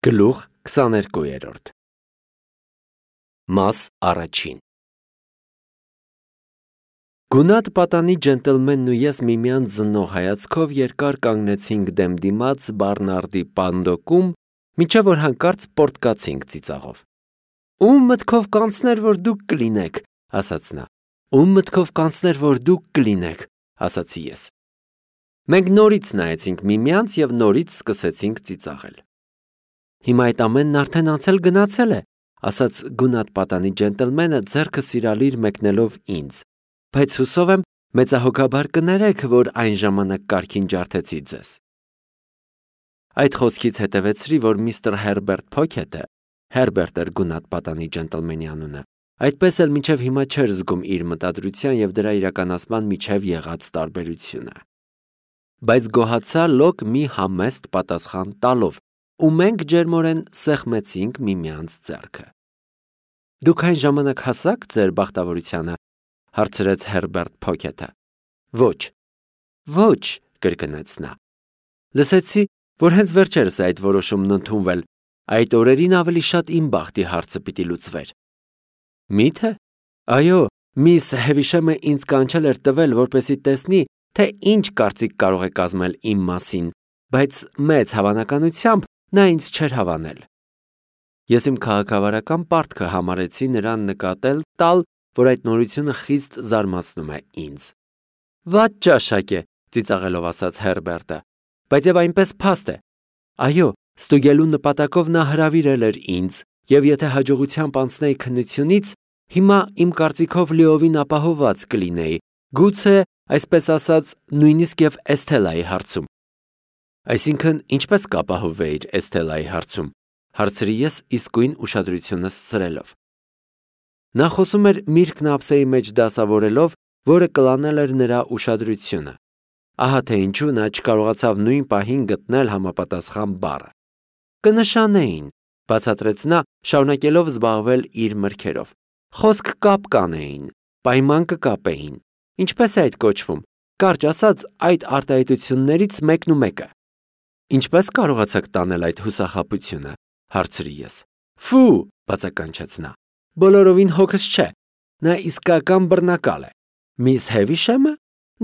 Գլուխ 22 Մաս առաջին Գունատ պատանի ջենտլմենն ու ես միմյանց զննող հայացքով երկար կանգնեցինք դեմ դիմաց Բարնարդի պանդոկում, մինչև որ հանկարծ պոռթկացինք ծիծաղով։ Ում մտքով կանցներ, որ դուք կլինեք, ասաց նա։ Ում մտքով կանցներ, որ դուք կլինեք, ասացի ես։ Մենք նորից նայեցինք միմյանց և նորից սկսեցինք ծիծաղել։ Հիմա այդ ամենն արդեն անցել գնացել է, ասաց գունատ պատանի ջենտլմենը ձեռքը սիրալիր մեկնելով ինձ, բայց հուսով եմ մեծահոգաբար կներեք, որ այն ժամանակ կարգին ջարդեցի ձեզ։ Այդ խոսքից հետևեցրի, որ միստր Հերբերտ Փոքեթը, Հերբերտ էր գունատ պատանի ջենտլմենի անունը, այդպես էլ մինչև հիմա չէր զգում իր մտադրության և դրա իրականացման միջև եղած տարբերությունը։ Բայց գոհացա լոկ մի համեստ պատասխան տալով, ու մենք ջերմորեն սեղմեցինք միմյանց ձեռքը։ Դուք այն ժամանակ հասաք ձեր բախտավորությանը, հարցրեց Հերբերտ Փոքեթը։ Ոչ, կրկնեց նա։ Լսեցի, որ հենց վերջերս է այդ որոշումն ընդունվել, այդ օրերին ավելի շատ իմ բախտի հարցը պիտի լուծվեր։ Մի՞թե։ Այո, միս Հևիշեմը ինձ կանչել էր տվել, որպեսզի տեսնի, թե ինչ կարծիք կարող է կազմել իմ մասին, բայց մեծ հավանականությամբ նա ինձ չէր հավանել։ Ես իմ քաղաքավարական պարտքը համարեցի նրան նկատել տալ, որ այդ նորությունը խիստ զարմացնում է ինձ։ Վատ ճաշակ է, ծիծաղելով ասաց Հերբերտը, բայց եւ այնպես փաստ է։ Այո, ստուգելու նպատակով նա հրավիրել էր ինձ, եւ եթե հաջողությամբ անցնեի քննությունից, հիմա իմ կարծիքով լիովին ապահովված կլինեի, գուցե, այսպես ասած, նույնիսկ եւ Էսթելայի հարցում։ Այսինքն, ինչպես կապահովեիր Էսթելայի հարցում, հարցրի ես իսկույն ուշադրությունս սրելով։ Նա խոսում էր միրգն ափսեի մեջ դասավորելով, որը կլանել էր նրա ուշադրությունը։ Ահա թե ինչու նա չկարողացավ նույն պահին գտնել համապատասխան բառը։ Կնշանեին, բացատրեց նա, շարունակելով զբաղվել իր մրգերով։ Խոսք կապ կանեին, պայման կկապեին։ Ինչպես է այդ կոչվում։ Կարճ ասած, այդ արտահայտություններից մեկն ու մեկը։ Ինչպես կարողացաք տանել այդ հուսախաբությունը, հարցրի ես։ Ֆու, բացականչեց նա։ Բոլորովին հոգս չէ։ Նա իսկական բռնակալ է։ Միս Հևիշեմը։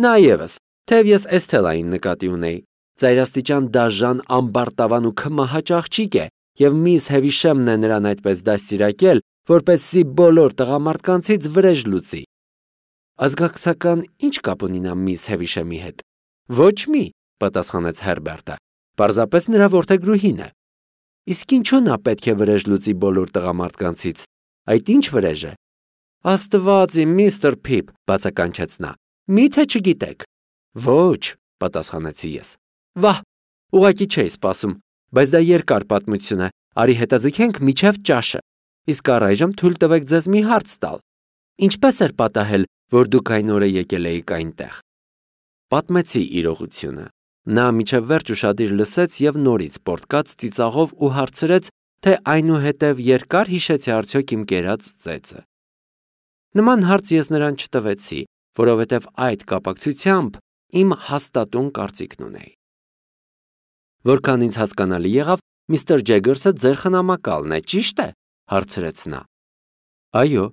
Նա ևս, թեև ես Էսթելային նկատի ունեի։ Ծայրաստիճան դաժան ամբարտավան ու քմահաճ աղջիկ է, եւ միս Հևիշեմն է նրան այդպես դաստիարակել, որպեսզի բոլոր տղամարդկանցից վրեժ լուծի։ Ազգակցական ինչ կապ ունի նա միս Հևիշեմի հետ։ Ոչ մի, պատասխանեց Հերբերտը։ Պարզապես նրա որդեգրուհին է։ Իսկ ինչու նա պետք է վրեժ լուծի բոլոր տղամարդկանցից։ Այդ ինչ վրեժ է։ Աստված իմ, միստր Փիփ, բացականչեց նա։ Մի՞թե չգիտեք։ Ոչ, պատասխանեցի ես։ Վահ, ուղղակի չէի սպասում, բայց դա երկար պատմություն է։ Արի հետաձգենք միջև ճաշը։ Իսկ առայժմ թույլ տվեք ձեզ մի հարց տալ։ Ինչպես էր պատահել, որ դուք այն օրը եկել էիք այնտեղ։ Պատմեցի իրողությունը։ Նա միջև վերջ ուշադիր լսեց եւ նորից պոռթկաց ծիծաղով ու հարցրեց, թե այնուհետև երկար հիշեցի արդյոք իմ կերած ծեծը։ Նման հարց ես նրան չտվեցի, որովհետև այդ կապակցությամբ իմ հաստատուն կարծիքն ունեի։ Որքան ինձ հասկանալի եղավ, միստր Ջեգերսը ձեր խնամակալն է, ճիշտ է, հարցրեց նա։ Այո,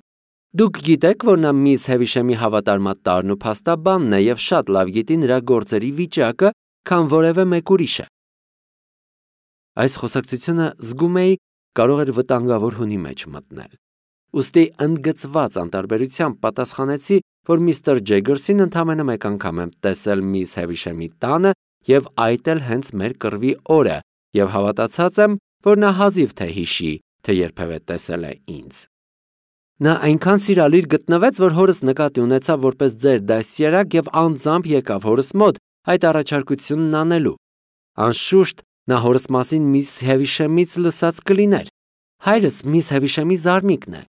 դուք գիտեք, որ նա միս Հևիշեմի հավատարմատ տարն ու փաստաբանն է եւ շատ լավ գիտի նրա գործերի վիճակը, քան որևէ մեկ ուրիշը։ Այս խոսակցությունը զգում էի կարող էր վտանգավոր հունի մեջ մտնել։ Ուստի ընդգծված անտարբերությամբ պատասխանեցի, որ միստր Ջեգերսին ընդամենը մեկ անգամ եմ տեսել միս Հևիշեմի տանը եւ այդ էլ հենց մեր կռվի օրը եւ հավատացած եմ, որ նա հազիվ թե հիշի, թե երբևէ տեսել է ինձ։ Նա այնքան սիրալիր գտնվեց, որ հորս նկատի ունեցավ որպես ձեր դաստիարակ եւ անձամբ եկավ հորս մոտ այդ առաջարկությունն անելու։ Անշուշտ նա հորս մասին միս Հևիշեմից լսած կլիներ։ Հայրս միս Հևիշեմի զարմիկն է,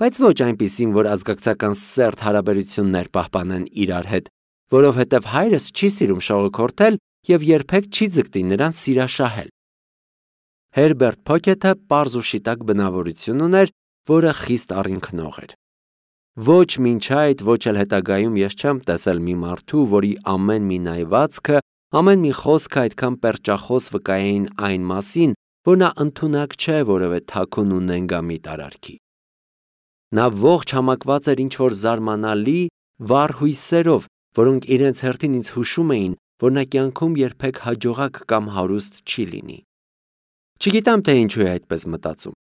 բայց ոչ այնպիսին, որ ազգակցական սերտ հարաբերություններ պահպանեն իրար հետ, որովհետև հայրս չի սիրում շողոքորթել եւ երբեք չի ձգտի նրան սիրաշահել։ Հերբերտ Փոքեթը պարզ ու շիտակ բնավորություն ուներ, որը խիստ առինքնող էր։ Ոչ մինչ այդ, ոչ էլ հետագայում ես չեմ տեսել մի մարդու, որի ամեն մի նայվածքը, ամեն մի խոսքը այդքան պերճախոս վկայեին այն մասին, որ նա ընդունակ չէ որևէ թաքուն ու նենգամիտ արարքի։ Նա ողջ համակված էր ինչ-որ զարմանալի, վառ հույսերով, որոնք իրենց հերթին ինձ հուշում էին, որ նա կյանքում երբեք հաջողակ կամ հարուստ չի լինի։ Չգիտեմ, թե ինչու է այդպես մտածում։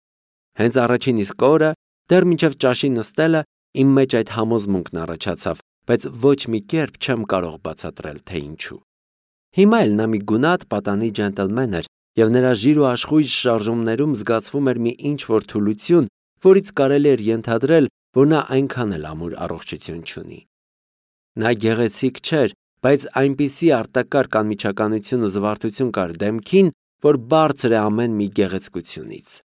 Հենց առաջին իսկ օրը, դեռ մինչև ճաշի նստելը, իմ մեջ այդ համոզմունքն առաջացավ, բայց ոչ մի կերպ չեմ կարող բացատրել, թե ինչու։ Հիմա էլ նա մի գունատ պատանի ջենտլմեն էր, եւ նրա ժիր ու աշխույժ շարժումներում զգացվում էր մի ինչ-որ թուլություն, որից կարելի էր ենթադրել, որ նա այնքան էլ ամուր առողջություն չունի։ Նա գեղեցիկ չէր, բայց այնպիսի արտակարգ անմիջականություն ու զվարթություն կար դեմքին, որ բարձր է ամեն մի գեղեցկությունից։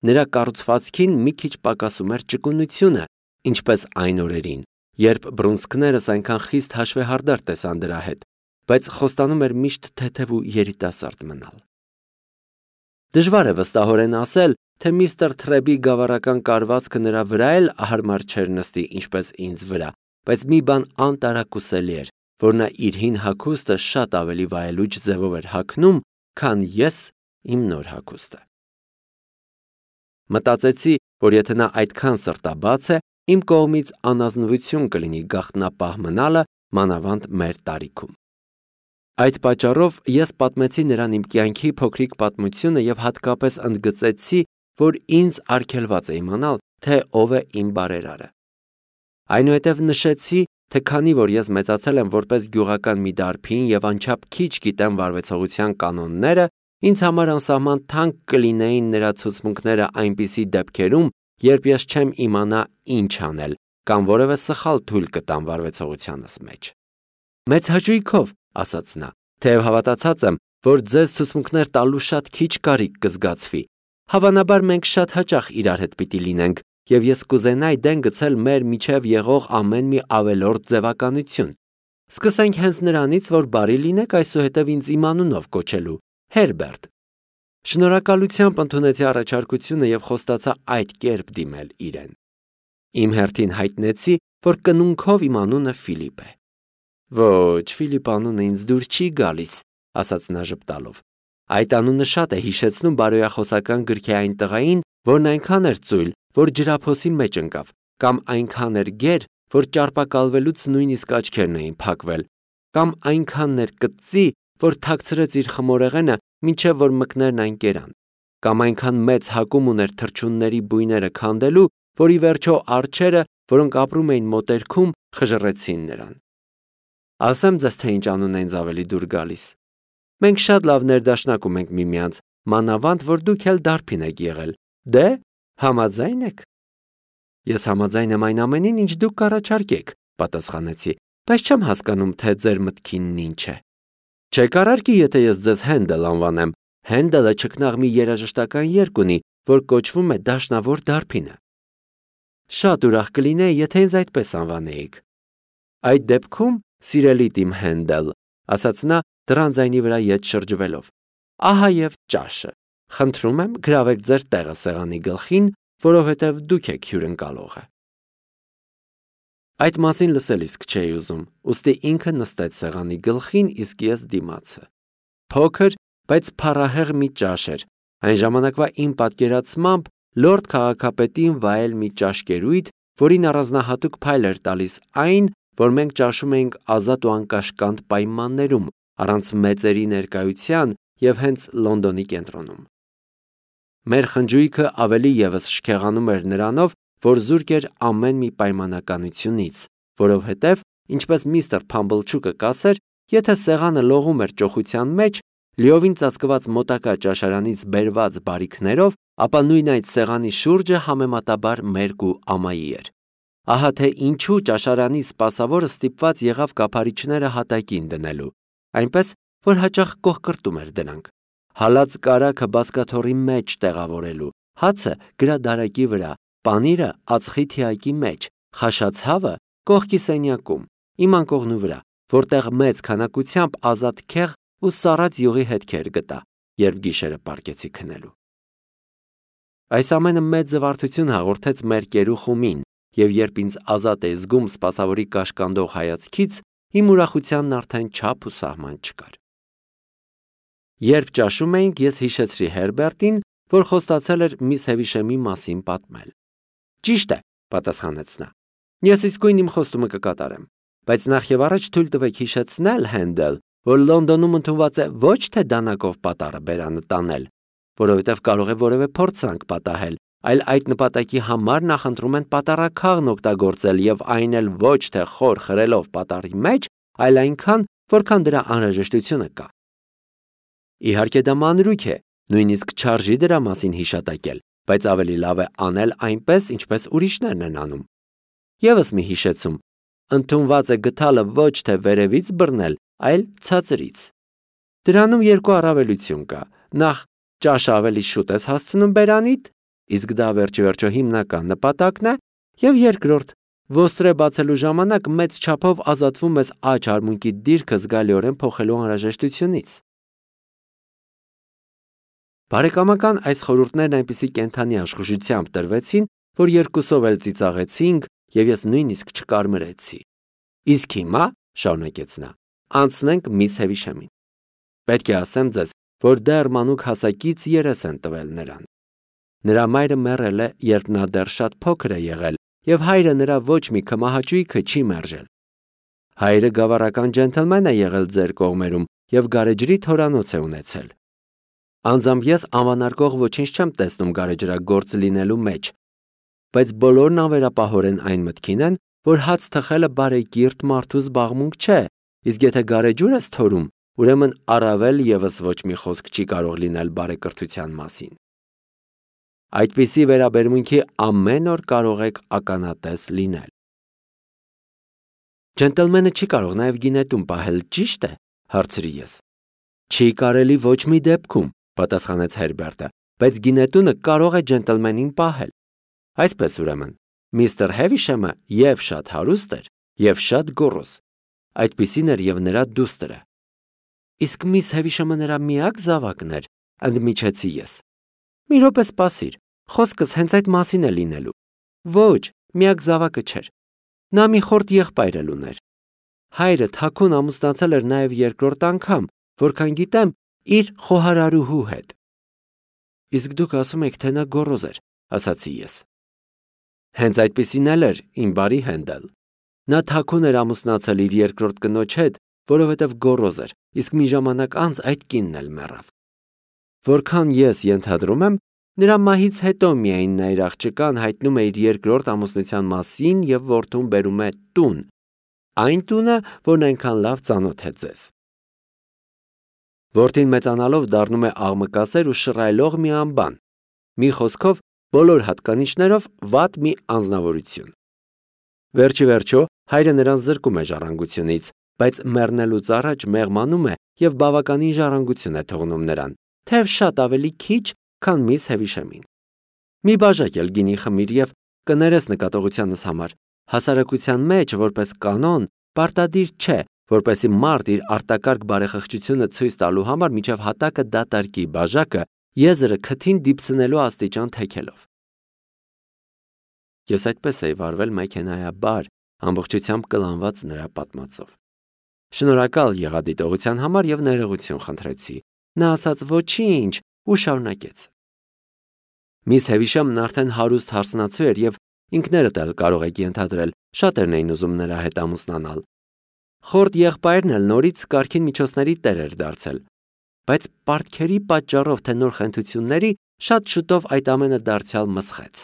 Նրա կառուցվածքին մի քիչ պակասում էր ճկունությունը, ինչպես այն օրերին, երբ բռունցքներս այնքան խիստ հաշվեհարդար տեսան դրա հետ, բայց խոստանում էր միշտ թեթև ու երիտասարդ մնալ։ Դժվար է վստահորեն ասել, թե միստր Թրեբի գավառական կարվածքը նրա վրա էլ հարմար չէր նստի ինչպես ինձ վրա, բայց մի բան անտարակուսելի էր, որ նա իր հին հագուստը շատ ավելի վայելուչ ձևով էր հագնում, քան ես իմ նոր հագուստը։ Մտածեցի, որ եթե նա այդքան սրտաբաց է, իմ կողմից անազնվություն կլինի գաղտնապահ մնալը, մանավանդ մեր տարիքում։ Այդ պատճառով ես պատմեցի նրան իմ կյանքի փոքրիկ պատմությունը եւ հատկապես ընդգծեցի, որ ինձ արգելված է իմանալ, թե ով է իմ բարերարը։ Այնուհետև նշեցի, թե քանի որ ես մեծացել եմ որպես գյուղական մի դարբին եւ անչափ քիչ գիտեմ վարվեցողության կանոնները, ինձ համար անսահման թանկ կլինեին նրա ցուցմունքները այնպիսի դեպքերում, երբ ես չեմ իմանա ինչ անել կամ որևէ սխալ թույլ կտամ վարվեցողությանս մեջ։ Մեծ հաճույքով, ասաց նա, թեև հավատացած եմ, որ ձեզ ցուցմունքներ տալու շատ քիչ կարիք կզգացվի։ Հավանաբար մենք շատ հաճախ իրար հետ պիտի լինենք, եւ ես կուզենայի դեն գցել մեր միջև եղող ամեն մի ավելորդ ձևականություն։ Սկսենք հենց նրանից, որ բարի լինեք այսուհետև ինձ իմ անունով կոչելու, Հերբերտ։ Շնորհակալությամբ ընդունեցի առաջարկությունը եւ խոստացա այդ կերպ դիմել իրեն։ Իմ հերթին հայտնեցի, որ կնունքով իմ անունը Ֆիլիպ է։ Ոչ, Ֆիլիպ անունը ինձ դուր չի գալիս, ասաց նա ժպտալով։ Այդ անունը շատ է հիշեցնում բարոյախոսական գրքի այն տղային, որն այնքան էր ծույլ, որ ջրափոսի մեջ ընկավ, կամ այնքան էր գեր, որ ճարպակալվելուց նույնիսկ աչքերն էին փակվել, կամ այնքան էր կծի, որ թաքցրեց իր խմորեղենը, մինչև որ մկներն այն կերան, կամ այնքան մեծ հակում ուներ թռչունների բույները քանդելու, որ ի վերջո արջերը, որոնք ապրում էին մոտերքում, խժռեցին նրան։ Ասեմ ձեզ, թե ինչ անուն է ինձ ավելի դուր գալիս։ Մենք շատ լավ ներդաշնակում ենք միմյանց, մանավանդ, որ դուք էլ դարբին եք եղել։ Դե, համաձայն եք։ Ես համաձայն եմ այն ամենին, ինչ դուք կառաջարկեք, պատասխանեցի, բայց չեմ հասկանում, թե ձեր մտքինն ինչ է։ Չեք արարքի, եթե ես ձեզ Հենդել անվանեմ։ Հենդելը չքնաղ մի երաժշտական երգ ունի, որ կոչվում է Դաշնավոր դարբինը։ Շատ ուրախ կլինեի, եթե ինձ այդպես անվանեիք։ Այդ դեպքում, սիրելի Տիմ Հենդել, ասաց նա դռան ձայնի վրա ետ շրջվելով, ահա եւ ճաշը։ Խնդրում եմ, գրավեք ձեր տեղը սեղանի գլխին, որովհետև դուք եք հյուրընկալողը։ Այդ մասին լսել իսկ չէի ուզում, ուստի ինքը նստեց սեղանի գլխին, իսկ ես դիմացը։ Փոքր, բայց փառահեղ մի ճաշ էր։ Այն ժամանակվա իմ պատկերացմամբ լորդ քաղաքապետին վայել մի ճաշկերույթ, որին առանձնահատուկ փայլ էր տալիս այն, որ մենք ճաշում էինք ազատ ու անկաշկանդ պայմաններում, առանց մեծերի ներկայության եւ հենց Լոնդոնի կենտրոնում։ Մեր խնջույքը ավելի եւս շքեղանում էր նրանով, որ զուրկ էր ամեն մի պայմանականությունից, որովհետև, ինչպես միստր Փամբլչուկը կասեր, եթե սեղանը լողում էր ճոխության մեջ, լիովին ծածկված մոտակա ճաշարանից բերված բարիքներով, ապա նույն այդ սեղանի շուրջը համեմատաբար մերկ ու ամայի էր։ Ահա թե ինչու ճաշարանի սպասավորը ստիպված եղավ կափարիչները հատակին դնելու, այնպես, որ հաճախ կողկրտում էր դրանք։ Հալած կարագը բազկաթոռի մեջ տեղավորելու, հացը գրադարակի վրա, պանիրը ածխի թիակի մեջ, խաշած հավը կողքի սենյակում, իմ անկողնու վրա, որտեղ մեծ քանակությամբ ազատ քեղ ու սառած յուղի հետքեր գտա, երբ գիշերը պառկեցի քնելու։ Այս ամենը մեծ զվարթություն հաղորդեց մեր կերուխումին, եւ երբ ինձ ազատ էի զգում սպասավորի կաշկանդող հայացքից, իմ ուրախությանն արդեն չափ ու սահման չկար։ Երբ ճաշում էինք, ես հիշեցրի Հերբերտին, որ խոստացել էր միս Հևիշեմի մասին պատմել։ Ճիշտ է, պատասխանեց նա։ Ես իսկույն իմ խոստումը կկատարեմ, բայց նախ եւ առաջ թույլ տվեք հիշեցնել, Հենդել, որ Լոնդոնում ընդունված է ոչ թե դանակով պատառը բերանը տանել, որովհետև կարող է որևէ փորձանք պատահել, այլ այդ նպատակի համար նախընտրում են պատառաքաղն օգտագործել եւ այն էլ ոչ թե խոր խրելով պատառի մեջ, այլ այնքան, որքան դրա անհրաժեշտությունը կա։ Իհարկե դա մանրուք է, նույնիսկ չարժի դրա մասին հիշատակել, բայց ավելի լավ է անել այնպես, ինչպես ուրիշներն են անում։ Եվս մի հիշեցում. ընդունված է գթալը ոչ թե վերևից բռնել, այլ ցածրից։ Դրանում երկու առավելություն կա. նախ ճաշը ավելի շուտ ես հասցնում բերանիդ, իսկ դա վերջիվերջո հիմնական նպատակն է, եւ երկրորդ, ոստրե բացելու ժամանակ մեծ չափով ազատվում ես աջ արմունկի դիրքը զգալիորեն փոխելու անհրաժեշտությունից։ Բարեկամական այս խորհուրդներն այնպիսի կենդանի աշխուժությամբ տրվեցին, որ երկուսով էլ ծիծաղեցինք եւ ես նույնիսկ չկարմրեցի։ Իսկ հիմա, շարունակեց նա, անցնենք միս Հևիշեմին։ Պետք է ասեմ ձեզ, որ դեռ մանուկ հասակից երես են տվել նրան։ Նրա մայրը մեռել է, երբ նա դեռ շատ փոքր է եղել, եւ հայրը նրա ոչ մի քմահաճույքը չի մերժել։ Հայրը գավառական ջենթլմեն է եղել ձեր կողմերում եւ գարեջրի թորանոց է ունեցել։ Անձամբ ես անվանարկող ոչինչ չեմ տեսնում գարեջրագործ լինելու մեջ, բայց բոլորն անվերապահորեն այն մտքին են, որ հաց թխելը բարեկիրթ մարդու զբաղմունք չէ, իսկ եթե գարեջուր ես թորում, ուրեմն առավել եւս ոչ մի խոսք չի կարող լինել բարեկրթության մասին։ Այդպիսի վերաբերմունքի ամեն օր կարող եք ականատես լինել։ Ջենտլմենը չի կարող նաև գինետում պահել, ճիշտ է, հարցրի ես։ Չի կարելի ոչ մի դեպքում, պատասխանեց Հերբերտը, բայց գինետունը կարող է ջենտլմենին պահել։ Այսպես ուրեմն, միստր Հևիշեմը եւ շատ հարուստ էր, եւ շատ գոռոզ։ Այդպիսին էր եւ նրա դուստրը։ Իսկ միս Հևիշեմը նրա միակ զավակն էր, ընդմիջեցի ես։ Մի րոպե սպասիր, խոսքս հենց այդ մասին է լինելու։ Ոչ, միակ զավակը չէր։ Նա մի խորտ եղբայր էլ ուներ։ Հայրը թաքուն ամուսնացել էր նաև երկրորդ անգամ, որքան գիտեմ, իր խոհարարուհու հետ։ Իսկ դուք ասում եք, թե նա գոռոզ էր, ասացի ես։ Հենց այդպիսին էլ էր, իմ բարի Հենդել։ Նա թաքուն էր ամուսնացել իր երկրորդ կնոջ հետ, որովհետև գոռոզ էր, իսկ մի ժամանակ անց այդ կինն էլ մեռավ։ Որքան ես ենթադրում եմ, նրա մահից հետո միայն նա իր աղջկան հայտնում է իր երկրորդ ամուսնության մասին եւ որդուն բերում է տուն, այն տունը, որն այնքան լավ ծանոթ է ձեզ։ Որդին մեծանալով դառնում է աղմկասեր ու շռայլող մի անբան, մի խոսքով բոլոր հատկանիշներով վատ մի անձնավորություն։ Վերջի վերջո հայրը նրան զրկում է ժառանգությունից, բայց մեռնելուց առաջ մեղմանում է եւ բավականին ժառանգություն է թողնում նրան, թեև շատ ավելի քիչ, քան միս Հևիշեմին։ Մի բաժակ էլ գինի խմիր եւ կներես նկատողությանս համար։ Հասարակության մեջ, որպես կանոն, պարտադիր չէ, որպեսի մարդ իր արտակարգ բարեխղճությունը ցույց տալու համար միջև հատակը դատարկի բաժակը, եզրը քթին դիպսնելու աստիճան թեքելով։ Ես այդպես էի վարվել մեքենայաբար, ամբողջությամբ կլանված նրա պատմածով։ Շնորհակալ եղա դիտողության համար եւ ներողություն խնդրեցի։ Նա ասաց ոչինչ ու շարունակեց։ Միս Հևիշեմն արդեն հարուստ հարսնացու էր եւ ինքներդ էլ կարող եք ենթադրել, շատերն էին ուզում նրա հետ ամուսնանալ։ Խորտ եղբայրն էլ նորից կարգին միջոցների տեր էր դարձել, բայց պարտքերի պատճառով թե նոր խնդությունների շատ շուտով այդ ամենը դարձյալ մսխեց։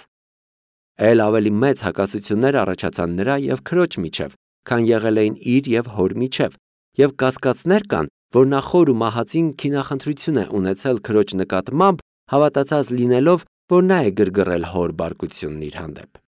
Էլ ավելի մեծ հակասություններ առաջացան նրա եւ քրոջ միջև, քան եղել էին իր եւ հոր միջև, եւ կասկածներ կան, որ նա խոր ու մահացին քինախնդրություն է ունեցել քրոջ նկատմամբ, հավատացած լինելով, որ նա է գրգռել հոր բարկությունն իր հանդեպ։